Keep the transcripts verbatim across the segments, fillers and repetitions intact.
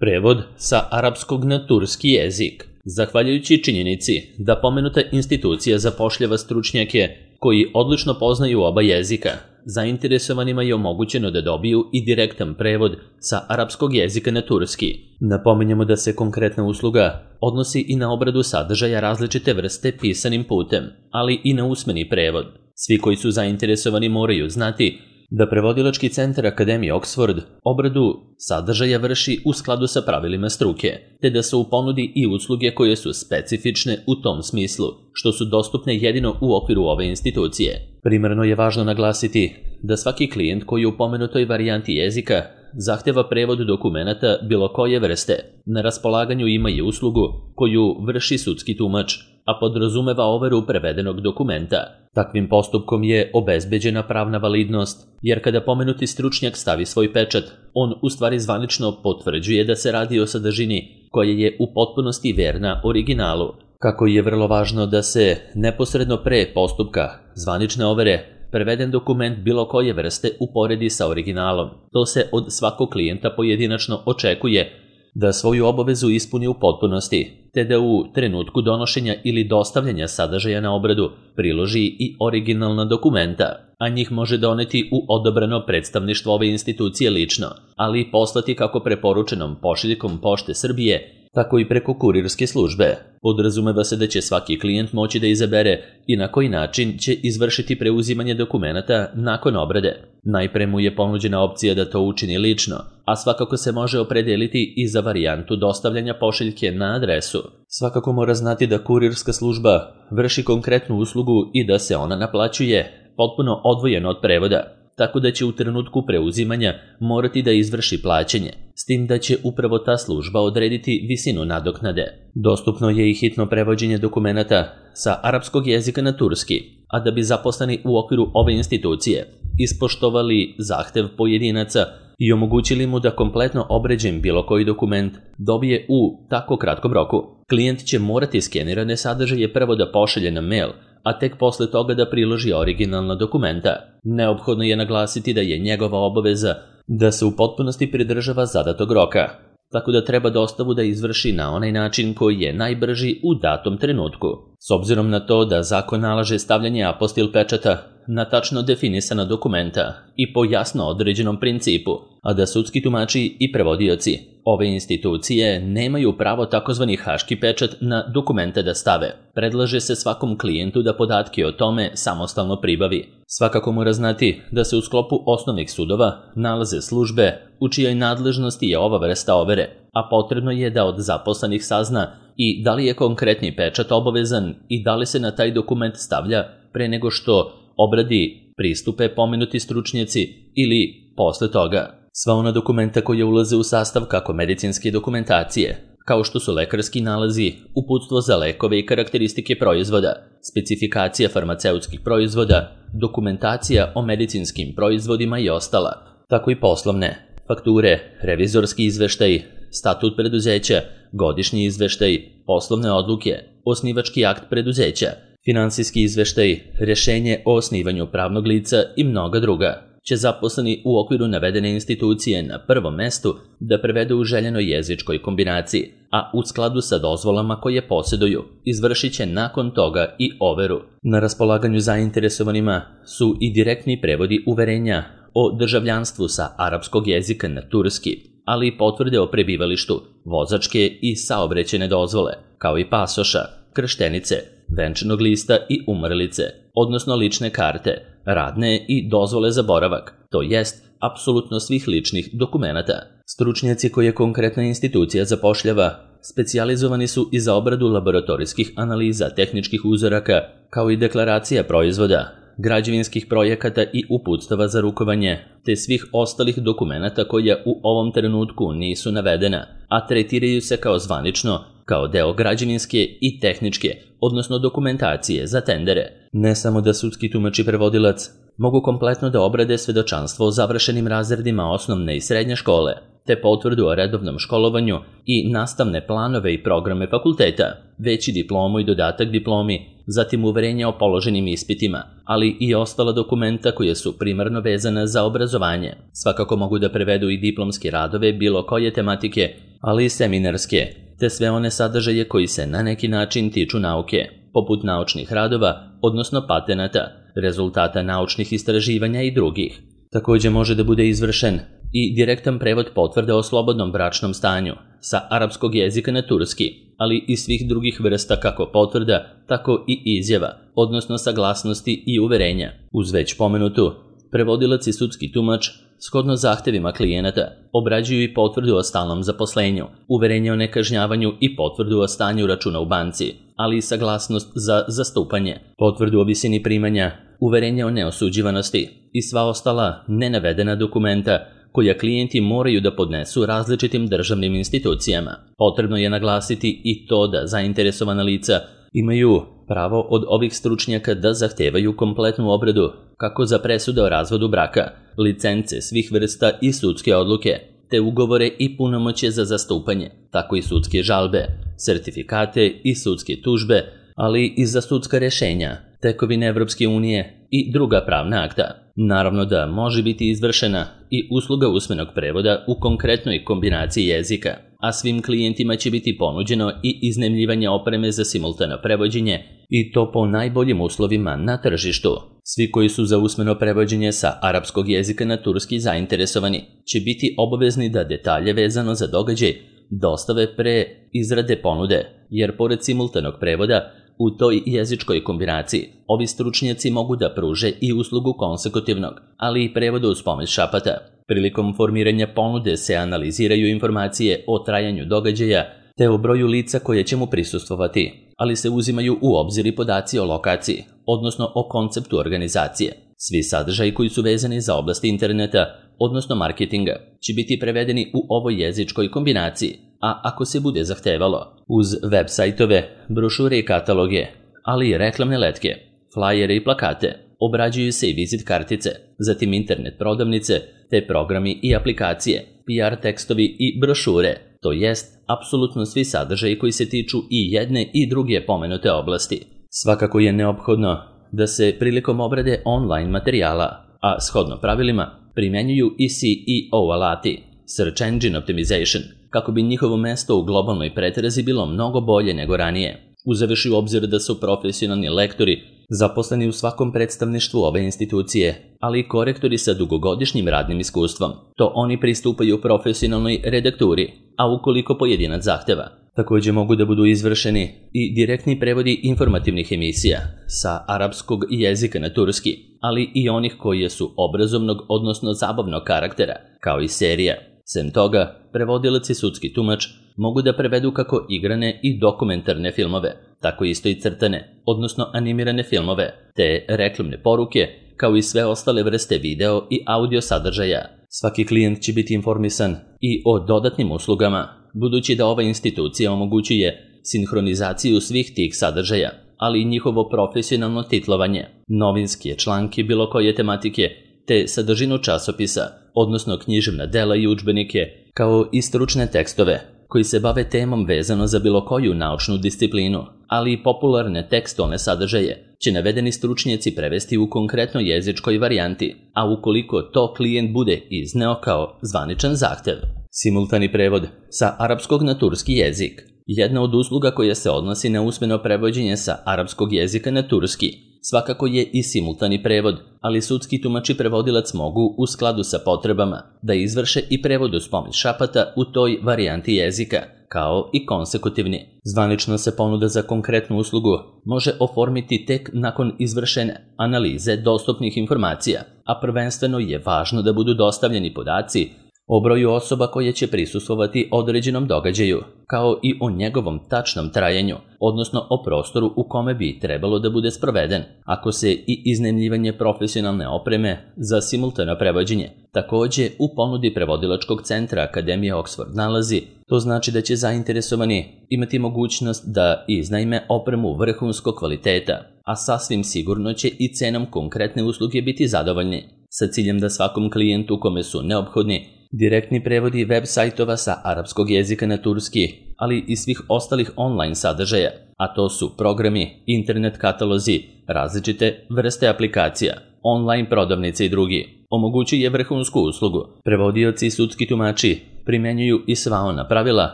Prevod sa arapskog na turski jezik. Zahvaljujući činjenici da pomenuta institucija zapošljava stručnjake koji odlično poznaju oba jezika, zainteresovanima je omogućeno da dobiju i direktan prevod sa arapskog jezika na turski. Napominjemo da se konkretna usluga odnosi i na obradu sadržaja različite vrste pisanim putem, ali i na usmeni prevod. Svi koji su zainteresovani moraju znati da Prevodilački centar Akademije Oxford obradu sadržaja vrši u skladu sa pravilima struke, te da su u ponudi i usluge koje su specifične u tom smislu, što su dostupne jedino u okviru ove institucije. Primarno je važno naglasiti da svaki klijent koji u pomenutoj varijanti jezika zahteva prevod dokumenata bilo koje vrste, na raspolaganju ima i uslugu koju vrši sudski tumač, a podrazumeva overu prevedenog dokumenta. Takvim postupkom je obezbeđena pravna validnost, jer kada pomenuti stručnjak stavi svoj pečat, on u stvari zvanično potvrđuje da se radi o sadržini koja je u potpunosti verna originalu. Kako je vrlo važno da se neposredno pre postupka zvanične overe preveden dokument bilo koje vrste uporedi sa originalom. To se od svakog klijenta pojedinačno očekuje da svoju obavezu ispuni u potpunosti, te da u trenutku donošenja ili dostavljanja sadržaja na obradu priloži i originalna dokumenta, a njih može doneti u odabrano predstavništvo ove institucije lično, ali i poslati kako preporučenom pošiljkom Pošte Srbije, tako i preko kurirske službe. Podrazumeva se da će svaki klijent moći da izabere i na koji način će izvršiti preuzimanje dokumenata nakon obrade. Najpre mu je ponuđena opcija da to učini lično, a svakako se može opredeliti i za varijantu dostavljanja pošiljke na adresu. Svakako mora znati da kurirska služba vrši konkretnu uslugu i da se ona naplaćuje potpuno odvojeno od prevoda, tako da će u trenutku preuzimanja morati da izvrši plaćanje, s tim da će upravo ta služba odrediti visinu nadoknade. Dostupno je i hitno prevođenje dokumenata sa arapskog jezika na turski, a da bi zaposleni u okviru ove institucije ispoštovali zahtev pojedinaca i omogućili mu da kompletno obređen bilo koji dokument dobije u tako kratkom roku. Klijent će morati skenirane sadržaje prvo da pošalje na mail, a tek posle toga da priloži originalna dokumenta. Neophodno je naglasiti da je njegova obaveza da se u potpunosti pridržava zadatog roka, tako da treba dostavu da izvrši na onaj način koji je najbrži u datom trenutku. S obzirom na to da zakon nalaže stavljanje apostil pečata na tačno definisana dokumenta i po jasno određenom principu, a da sudski tumači i prevodioci ove institucije nemaju pravo takozvani haški pečat na dokumente da stave. Predlaže se svakom klijentu da podatke o tome samostalno pribavi. Svakako mora znati da se u sklopu osnovnih sudova nalaze službe u čijoj nadležnosti je ova vrsta overe, a potrebno je da od zaposlenih sazna i da li je konkretni pečat obavezan i da li se na taj dokument stavlja pre nego što obradi pristupe pomenuti stručnjaci ili posle toga. Sva ona dokumenta koja ulaze u sastav kako medicinske dokumentacije, kao što su lekarski nalazi, uputstvo za lekove i karakteristike proizvoda, specifikacija farmaceutskih proizvoda, dokumentacija o medicinskim proizvodima i ostala, tako i poslovne, fakture, revizorski izveštaj, statut preduzeća, godišnji izveštaj, poslovne odluke, osnivački akt preduzeća, finansijski izveštaj, rešenje o osnivanju pravnog lica i mnoga druga, će zaposleni u okviru navedene institucije na prvom mestu da prevedu u željenoj jezičkoj kombinaciji, a u skladu sa dozvolama koje posjeduju, izvršit će nakon toga i overu. Na raspolaganju zainteresovanima su i direktni prevodi uverenja o državljanstvu sa arapskog jezika na turski, ali i potvrde o prebivalištu, vozačke i saobraćajne dozvole, kao i pasoša, krštenice, venčanog lista i umrlice, odnosno lične karte, radne i dozvole za boravak, to jest apsolutno svih ličnih dokumenata. Stručnjaci koje konkretna institucija zapošljava specijalizovani su i za obradu laboratorijskih analiza tehničkih uzoraka, kao i deklaracija proizvoda, građevinskih projekata i uputstava za rukovanje, te svih ostalih dokumenata koja u ovom trenutku nisu navedena, a tretiraju se kao zvanično, kao deo građevinske i tehničke, odnosno dokumentacije za tendere. Ne samo da sudski tumač i prevodilac mogu kompletno da obrade svedočanstvo o završenim razredima osnovne i srednje škole, te potvrdu o redovnom školovanju i nastavne planove i programe fakulteta, već i diplomu i dodatak diplomi, zatim uverenje o položenim ispitima, ali i ostala dokumenta koje su primarno vezana za obrazovanje. Svakako mogu da prevedu i diplomske radove bilo koje tematike, ali i seminarske, te sve one sadržaje koji se na neki način tiču nauke, poput naučnih radova, odnosno patenata, rezultata naučnih istraživanja i drugih. Takođe može da bude izvršen i direktan prevod potvrde o slobodnom bračnom stanju sa arapskog jezika na turski, ali i svih drugih vrsta kako potvrda, tako i izjava, odnosno saglasnosti i uverenja. Uz već pomenutu, prevodilac i sudski tumač, shodno zahtevima klijenata, obrađuju i potvrdu o stalnom zaposlenju, uverenje o nekažnjavanju i potvrdu o stanju računa u banci, ali i saglasnost za zastupanje, potvrdu o visini primanja, uverenje o neosuđivanosti i sva ostala nenavedena dokumenta koja klijenti moraju da podnesu različitim državnim institucijama. Potrebno je naglasiti i to da zainteresovana lica imaju pravo od ovih stručnjaka da zahtevaju kompletnu obradu kako za presude o razvodu braka, licence svih vrsta i sudske odluke, te ugovore i punomoćje za zastupanje, tako i sudske žalbe, sertifikate i sudske tužbe, ali i za sudska rešenja, tekovine Evropske unije i druga pravna akta. Naravno da može biti izvršena i usluga usmenog prevoda u konkretnoj kombinaciji jezika, a svim klijentima će biti ponuđeno i iznajmljivanje opreme za simultano prevođenje i to po najboljim uslovima na tržištu. Svi koji su za usmeno prevođenje sa arapskog jezika na turski zainteresovani će biti obavezni da detalje vezano za događaj dostave pre izrade ponude, jer pored simultanog prevoda u toj jezičkoj kombinaciji ovi stručnjaci mogu da pruže i uslugu konsekutivnog, ali i prevoda uz pomoć šapata. Prilikom formiranja ponude se analiziraju informacije o trajanju događaja te o broju lica koje će mu prisustvovati, ali se uzimaju u obzir i podaci o lokaciji, odnosno o konceptu organizacije. Svi sadržaji koji su vezani za oblast interneta, odnosno marketinga, će biti prevedeni u ovoj jezičkoj kombinaciji, a ako se bude zahtevalo, uz web sajtove, brošure i kataloge, ali i reklamne letke, flajere i plakate, obrađuju se i vizit kartice, zatim internet prodavnice, te programi i aplikacije, P R tekstovi i brošure, to jest apsolutno svi sadržaji koji se tiču i jedne i druge pomenute oblasti. Svakako je neophodno da se prilikom obrade online materijala, a shodno pravilima, primenjuju i S E O alati, Search Engine Optimization, kako bi njihovo mesto u globalnoj pretrazi bilo mnogo bolje nego ranije. Uzevši u obzir da su profesionalni lektori zaposleni u svakom predstavništvu ove institucije, ali i korektori sa dugogodišnjim radnim iskustvom, to oni pristupaju profesionalnoj redakturi, a ukoliko pojedinac zahteva, takođe mogu da budu izvršeni i direktni prevodi informativnih emisija sa arapskog jezika na turski, ali i onih koje su obrazovnog, odnosno zabavnog karaktera, kao i serija. Sem toga, prevodilac i sudski tumač mogu da prevedu kako igrane i dokumentarne filmove, tako isto i crtane, odnosno animirane filmove, te reklamne poruke, kao i sve ostale vrste video i audio sadržaja. Svaki klijent će biti informisan i o dodatnim uslugama, budući da ova institucija omogućuje sinhronizaciju svih tih sadržaja, ali i njihovo profesionalno titlovanje, novinske članke bilo koje tematike, te sadržinu časopisa, odnosno književna dela i udžbenike, kao i stručne tekstove, koji se bave temom vezano za bilo koju naučnu disciplinu, ali i popularne tekstualne sadržaje, će navedeni stručnjaci prevesti u konkretnoj jezičkoj varijanti, a ukoliko to klijent bude izneo kao zvaničan zahtev. Simultani prevod sa arapskog na turski jezik. Jedna od usluga koja se odnosi na usmeno prevođenje sa arapskog jezika na turski svakako je i simultani prevod, ali sudski tumač i prevodilac mogu, u skladu sa potrebama, da izvrše i prevod uz pomoć šapata u toj varijanti jezika, kao i konsekutivni. Zvanično se ponuda za konkretnu uslugu može oformiti tek nakon izvršene analize dostupnih informacija, a prvenstveno je važno da budu dostavljeni podaci o broju osoba koje će prisustvovati određenom događaju, kao i o njegovom tačnom trajanju, odnosno o prostoru u kome bi trebalo da bude sproveden. Ako se i iznajmljivanje profesionalne opreme za simultano prevođenje takođe u ponudi prevodilačkog centra Akademije Oxford nalazi, to znači da će zainteresovani imati mogućnost da iznajme opremu vrhunskog kvaliteta, a sasvim sigurno će i cenom konkretne usluge biti zadovoljni, sa ciljem da svakom klijentu kome su neophodni direktni prevodi web sajtova sa arapskog jezika na turski, ali i svih ostalih online sadržaja, a to su programi, internet katalozi, različite vrste aplikacija, online prodavnice i drugi. Omogućuje vrhunsku uslugu. Prevodioci i sudski tumači primenjuju i sva ona pravila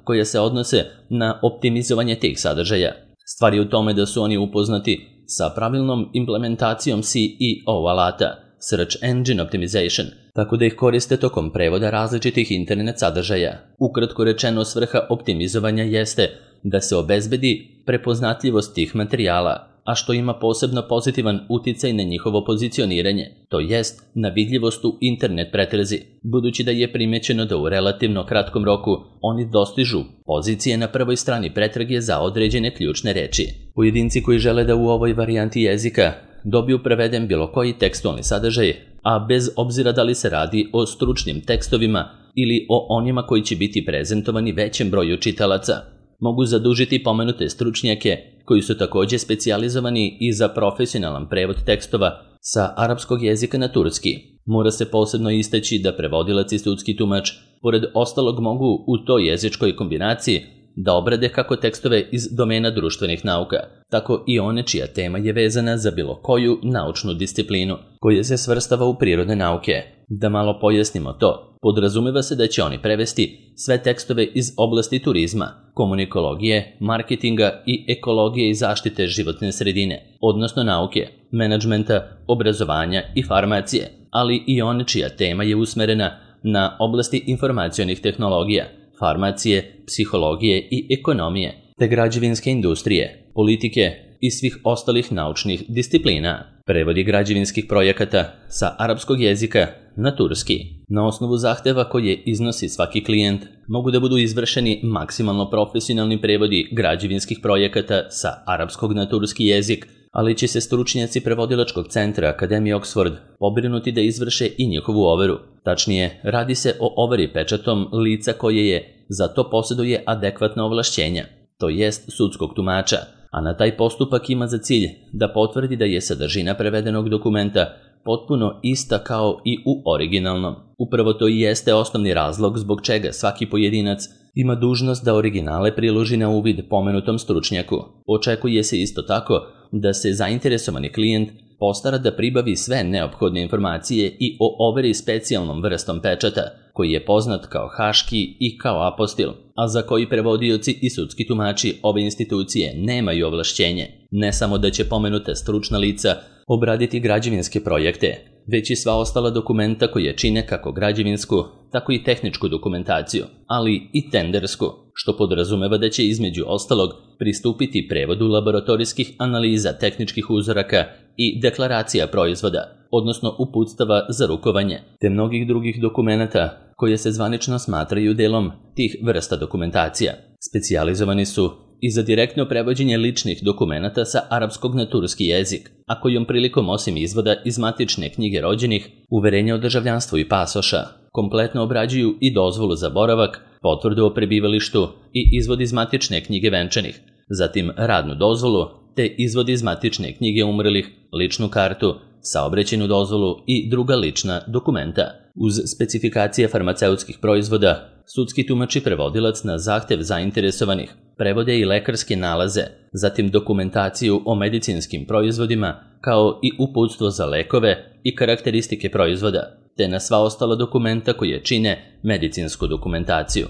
koja se odnose na optimizovanje tih sadržaja. Stvar je u tome da su oni upoznati sa pravilnom implementacijom C E O alata, Search Engine Optimization, tako da ih koriste tokom prevoda različitih internet sadržaja. Ukratko rečeno, svrha optimizovanja jeste da se obezbedi prepoznatljivost tih materijala, a što ima posebno pozitivan uticaj na njihovo pozicioniranje, to jest na vidljivost u internet pretrazi, budući da je primećeno da u relativno kratkom roku oni dostižu pozicije na prvoj strani pretrage za određene ključne reči. Pojedinci koji žele da u ovoj varijanti jezika dobiju preveden bilo koji tekstualni sadržaj, a bez obzira da li se radi o stručnim tekstovima ili o onima koji će biti prezentovani većem broju čitalaca, mogu zadužiti pomenute stručnjake koji su također specijalizovani i za profesionalan prevod tekstova sa arapskog jezika na turski. Mora se posebno istaći da prevodilac i sudski tumač, pored ostalog, mogu u toj jezičkoj kombinaciji da obrade kako tekstove iz domena društvenih nauka, tako i one čija tema je vezana za bilo koju naučnu disciplinu koja se svrstava u prirodne nauke. Da malo pojasnimo to, podrazumeva se da će oni prevesti sve tekstove iz oblasti turizma, komunikologije, marketinga i ekologije i zaštite životne sredine, odnosno nauke, menadžmenta, obrazovanja i farmacije, ali i one čija tema je usmerena na oblasti informacionih tehnologija, farmacije, psihologije i ekonomije, te građevinske industrije, politike i svih ostalih naučnih disciplina. Prevodi građevinskih projekata sa arapskog jezika na turski. Na osnovu zahteva koje iznosi svaki klijent, mogu da budu izvršeni maksimalno profesionalni prevodi građevinskih projekata sa arapskog na turski jezik, ali će se stručnjaci prevodilačkog centra Akademije Oxford pobrinuti da izvrše i njihovu overu. Tačnije, radi se o overi pečatom lica koje je za to posjeduje adekvatna ovlašćenja, to jest sudskog tumača, a na taj postupak ima za cilj da potvrdi da je sadržina prevedenog dokumenta potpuno ista kao i u originalnom. Upravo to i jeste osnovni razlog zbog čega svaki pojedinac ima dužnost da originale priloži na uvid pomenutom stručnjaku. Očekuje se isto tako da se zainteresovani klijent postara da pribavi sve neophodne informacije i o overi specijalnom vrstom pečata, koji je poznat kao haški i kao apostil, a za koji prevodioci i sudski tumači ove institucije nemaju ovlašćenje. Ne samo da će pomenuta stručna lica obraditi građevinske projekte, već i sva ostala dokumenta koje čine kako građevinsku, tako i tehničku dokumentaciju, ali i tendersku, što podrazumeva da će između ostalog pristupiti prevodu laboratorijskih analiza tehničkih uzoraka i deklaracija proizvoda, odnosno uputstava za rukovanje, te mnogih drugih dokumenata koje se zvanično smatraju delom tih vrsta dokumentacija. Specijalizovani su i za direktno prevođenje ličnih dokumenata sa arapskog na turski jezik, a kojom prilikom osim izvoda iz matične knjige rođenih, uverenja o državljanstvu i pasoša, kompletno obrađuju i dozvolu za boravak, potvrdu o prebivalištu i izvod iz matične knjige venčanih, zatim radnu dozvolu, te izvod iz matične knjige umrlih, ličnu kartu, saobraćajnu dozvolu i druga lična dokumenta. Uz specifikacije farmaceutskih proizvoda, sudski tumač i prevodilac na zahtev zainteresovanih prevode i lekarske nalaze, zatim dokumentaciju o medicinskim proizvodima, kao i uputstvo za lekove i karakteristike proizvoda, te na sva ostala dokumenta koje čine medicinsku dokumentaciju.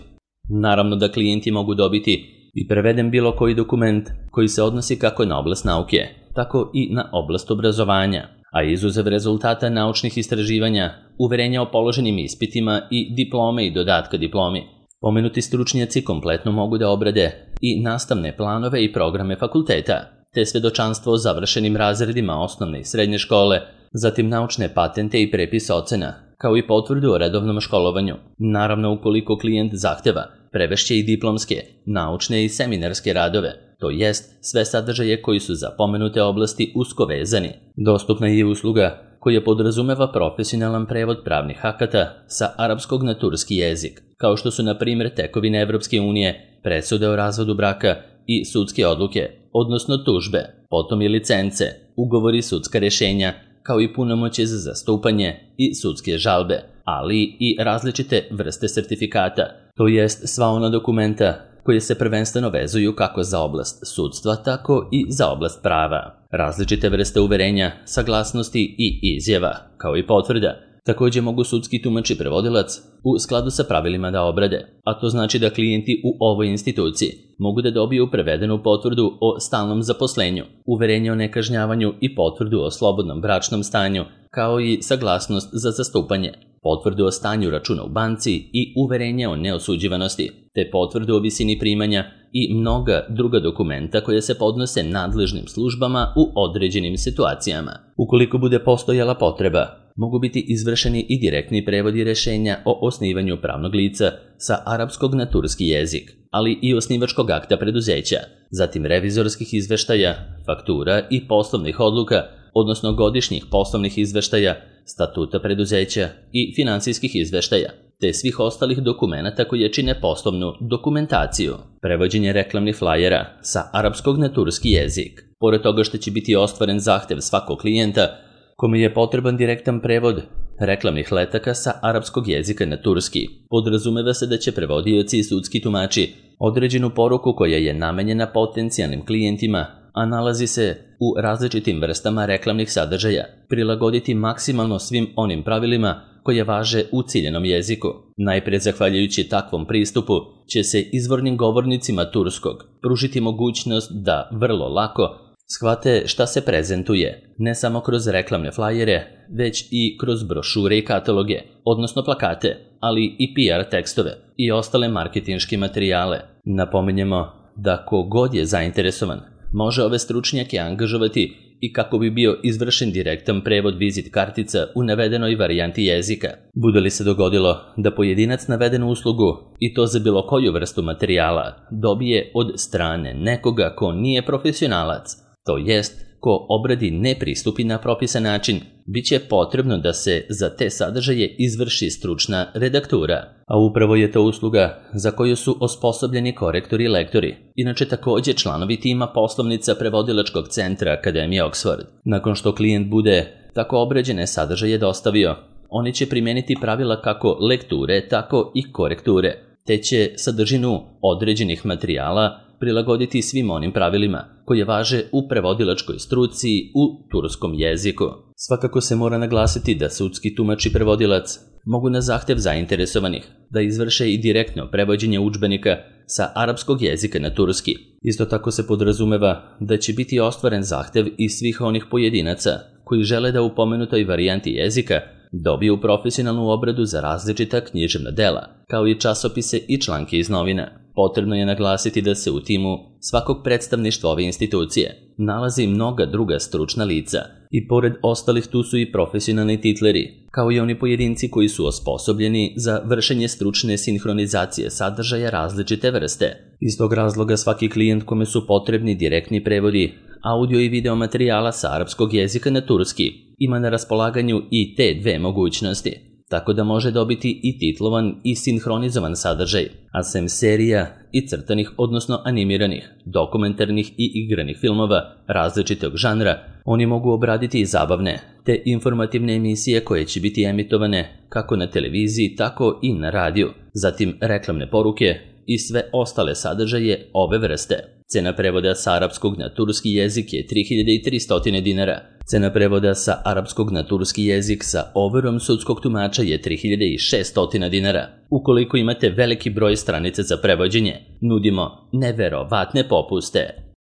Naravno da klijenti mogu dobiti i preveden bilo koji dokument koji se odnosi kako na oblast nauke, tako i na oblast obrazovanja, a izuzev rezultata naučnih istraživanja, uverenja o položenim ispitima i diplome i dodatka diplomi. Pomenuti stručnjaci kompletno mogu da obrade i nastavne planove i programe fakulteta, te svedočanstvo o završenim razredima osnovne i srednje škole, zatim naučne patente i prepis ocena, kao i potvrdu o redovnom školovanju. Naravno, ukoliko klijent zahteva, prevešće i diplomske, naučne i seminarske radove, to jest sve sadržaje koji su za pomenute oblasti usko vezani. Dostupna je usluga koja podrazumeva profesionalan prevod pravnih akata sa arapskog na turski jezik, kao što su na primjer tekovine Evropske unije, presude o razvodu braka i sudske odluke, odnosno tužbe, potom i licence, ugovori, sudska rešenja, kao i punomoćje za zastupanje i sudske žalbe, ali i različite vrste sertifikata, to jest sva ona dokumenta koje se prvenstveno vezuju kako za oblast sudstva, tako i za oblast prava. Različite vrste uverenja, saglasnosti i izjava, kao i potvrda, također mogu sudski tumač i prevodilac u skladu sa pravilima da obrade, a to znači da klijenti u ovoj instituciji mogu da dobiju prevedenu potvrdu o stalnom zaposlenju, uverenje o nekažnjavanju i potvrdu o slobodnom bračnom stanju, kao i saglasnost za zastupanje, potvrdu o stanju računa u banci i uverenje o neosuđivanosti, te potvrdu o visini primanja i mnoga druga dokumenta koje se podnose nadležnim službama u određenim situacijama. Ukoliko bude postojala potreba, mogu biti izvršeni i direktni prevodi rešenja o osnivanju pravnog lica sa arapskog na turski jezik, ali i osnivačkog akta preduzeća, zatim revizorskih izveštaja, faktura i poslovnih odluka, odnosno godišnjih poslovnih izveštaja, statuta preduzeća i finansijskih izveštaja, te svih ostalih dokumenata koje čine poslovnu dokumentaciju. Prevođenje reklamnih flajera sa arapskog na turski jezik. Pored toga što će biti ostvaren zahtev svakog klijenta kome je potreban direktan prevod reklamnih letaka sa arapskog jezika na turski, podrazumeva se da će prevodioci i sudski tumači određenu poruku koja je namenjena potencijalnim klijentima, a nalazi se u različitim vrstama reklamnih sadržaja, prilagoditi maksimalno svim onim pravilima koje važe u ciljenom jeziku. Najpre zahvaljujući takvom pristupu će se izvornim govornicima turskog pružiti mogućnost da vrlo lako shvate šta se prezentuje, ne samo kroz reklamne flajere, već i kroz brošure i kataloge, odnosno plakate, ali i P R tekstove i ostale marketinške materijale. Napominjemo da ko god je zainteresovan može ove stručnjake angažovati i kako bi bio izvršen direktan prevod vizit kartica u navedenoj varijanti jezika. Bude li se dogodilo da pojedinac navedenu uslugu, i to za bilo koju vrstu materijala, dobije od strane nekoga ko nije profesionalac, to jest ko obradi ne pristupi na propisan način, bit će potrebno da se za te sadržaje izvrši stručna redaktura. A upravo je to usluga za koju su osposobljeni korektori i lektori, inače također članovi tima poslovnica prevodilačkog centra Akademije Oxford. Nakon što klijent bude tako obrađene sadržaje dostavio, oni će primijeniti pravila kako lekture, tako i korekture, te će sadržinu određenih materijala prilagoditi svim onim pravilima koje važe u prevodilačkoj struci u turskom jeziku. Svakako se mora naglasiti da sudski tumač i prevodilac mogu na zahtev zainteresovanih da izvrše i direktno prevođenje udžbenika sa arapskog jezika na turski. Isto tako se podrazumeva da će biti ostvaren zahtev i svih onih pojedinaca koji žele da u pomenutoj varijanti jezika dobiju profesionalnu obradu za različita književna dela, kao i časopise i članke iz novina. Potrebno je naglasiti da se u timu svakog predstavništva ove institucije nalazi mnoga druga stručna lica i pored ostalih tu su i profesionalni titleri, kao i oni pojedinci koji su osposobljeni za vršenje stručne sinhronizacije sadržaja različite vrste. Iz tog razloga svaki klijent kome su potrebni direktni prevodi audio i video materijala sa arapskog jezika na turski ima na raspolaganju i te dve mogućnosti, tako da može dobiti i titlovan i sinhronizovan sadržaj, a sem serija i crtanih, odnosno animiranih, dokumentarnih i igranih filmova različitog žanra, oni mogu obraditi i zabavne, te informativne emisije koje će biti emitovane kako na televiziji, tako i na radiju, zatim reklamne poruke i sve ostale sadržaje ove vrste. Cena prevoda sa arapskog na turski jezik je tri hiljade tristo dinara. Cena prevoda sa arapskog na turski jezik sa overom sudskog tumača je tri hiljade šesto dinara. Ukoliko imate veliki broj stranica za prevođenje, nudimo neverovatne popuste.